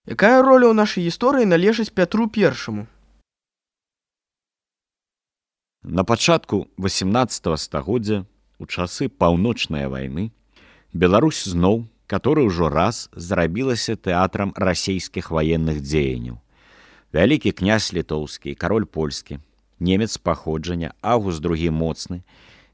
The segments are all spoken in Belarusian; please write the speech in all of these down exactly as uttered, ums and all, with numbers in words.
Якая роля ў нашай гісторыі належыць Пятру Першаму? На пачатку васямнаццатага стагоддзя, у часы паўночнай вайны, Беларусь зноў, который ўжо раз зрабілася тэатрам расійскіх ваенных дзеянняў. Вялікі князь літоўскі, кароль польскі, немец паходжання Аўгуст другі моцны,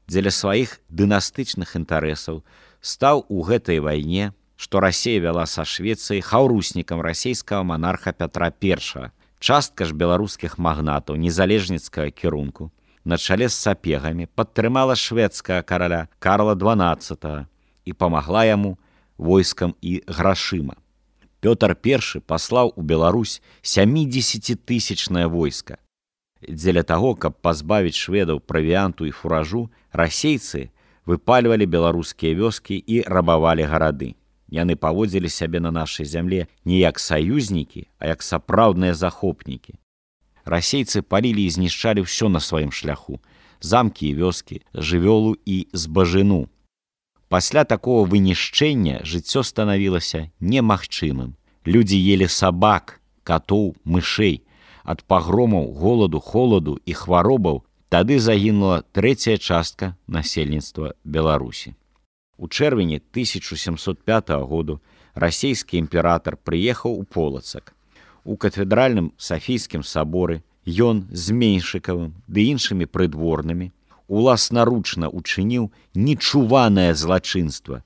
дзеля сваіх дынастычных інтарэсаў стаў у гэтай вайне, што Расія вяла са Швецыяй, хаўруснікам расійскага монарха Пятра Першага. Частка ж беларускіх магнатаў незалежніцкага кірунку на чале з сапегамі падтрымала шведскага караля Карла дванаццатага і памагла яму войскам і грашыма. Пётр Першы паслаў у Беларусь сямідзесяцітысячнае войска. Дзеля таго, каб пазбавіць шведаў правіанту і фуражу, расейцы выпальвалі беларускія вёскі і рабавалі гарады. Яны паводзілі сябе на нашай зямле не як саюзнікі, а як сапраўдныя захопнікі. Расейцы палілі і знішчалі ўсё на сваім шляху: замкі і вёскі, жывёлу і збажыну. Пасля такого вынішчэння жыццё станавілася немагчымым. Людзі елі сабак, катоў, мышэй. Ад пагромаў, голаду, холаду і хваробаў тады загінула трэцяя частка насельніцтва Беларусі. У чэрвені тысяча сямсот пятага году расійскі імператар прыехаў у Полацак. У кафедральным Сафійскім саборы ён з Меньшыкавым ды іншымі прыдворнымі уласнаручна учыніў нечуванае злачынства.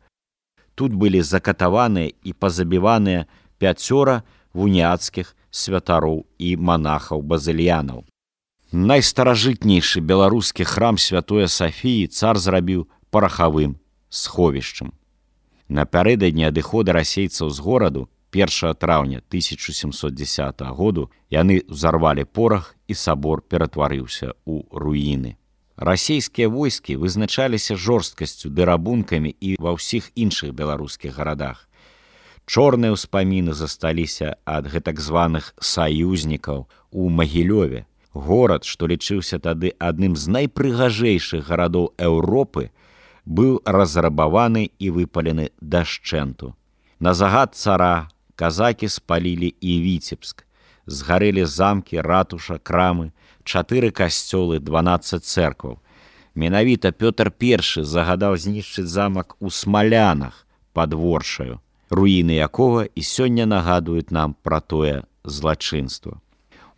Тут былі закатаваныя і пазабіваныя пяцёра вуніяцкіх святароў і манахаў-базыльянаў. Найстаражытнейшы беларускі храм Святое Сафіі цар зрабіў парахавым сховішчам. Напярэдадні адыхода расейцаў з гораду першага траўня тысяча сямсот дзесятага году яны ўзарвалі порах і сабор ператварыўся ў руіны. Расійскія войскі вызначаліся жорсткасцю ды рабункамі і ва ўсіх іншых беларускіх гарадах. Чорныя ўспаміны засталіся ад гэтак званых саюзнікаў у Магілёве. Горад, што лічыўся тады адным з найпрыгажэйшых гарадоў Еўропы, быў разрабаваны і выпалены дашчэнту. На загад цара казакі спалілі і Віцебск. Згарэлі замкі, ратуша, крамы, чатыры касцёлы, дванаццаць цэркваў. Менавіта Пётр Першы загадаў знішчыць замак у Смалянах пад Воршаю, руіны якога і сёння нагадваюць нам пра тое злачынства.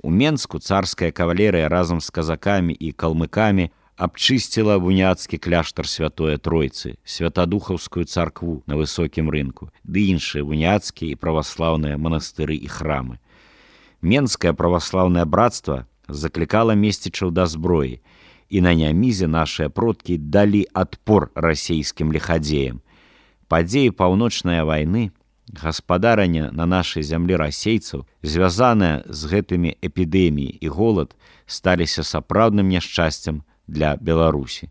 У Менску царская кавалерыя разам з казакамі і калмыкамі абчысціла вуніяцкі кляштар Святое Тройцы, святадухаўскую царкву на высокім рынку, ды іншыя вуніяцкія і праваслаўныя манастыры і храмы. Менскае праваслаўнае братства заклікала месцічаў да зброі, і на нямізе нашыя продкі далі адпор расійскім лихадзеям. Падзеі паўночнай вайны, гаспадарання на нашай зямлі расейцаў, звязаныя з гэтымі эпідэміі і голад, сталіся сапраўдным няшчасцем для Беларусі.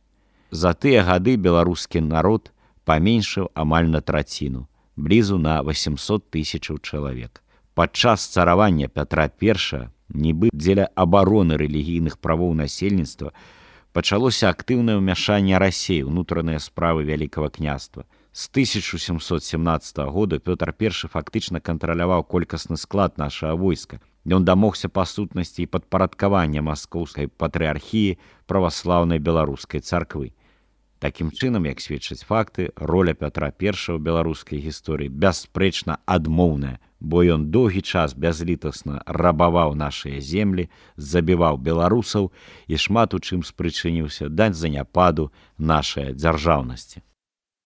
За тыя гады беларускі народ паменшыў амаль на траціну, блізу на восемьсот тысячаў чалавек. Падчас царавання Пятра Першага, нібы дзеля абароны рэлігійных правоў насельніцтва, пачалося актыўнае ўмяшанне Расіі ў ўнутраныя справы Вялікага княства. З тысяча сямсот сямнаццатага года Пётр Першы фактычна кантраляваў колькасны склад нашага войска. Ён дамогся па сутнасці і падпарадкавання маскоўскай патрыархіі праваслаўнай беларускай царквы. Такім чынам, як сведчаць факты, роля Пятра Першага ў беларускай гісторыі бясспрэчна адмоўная, бо ён доўгі час бязлітасна рабаваў нашыя землі, забіваў беларусаў і шмат у чым спрычыніўся да заняпаду нашай дзяржаўнасці.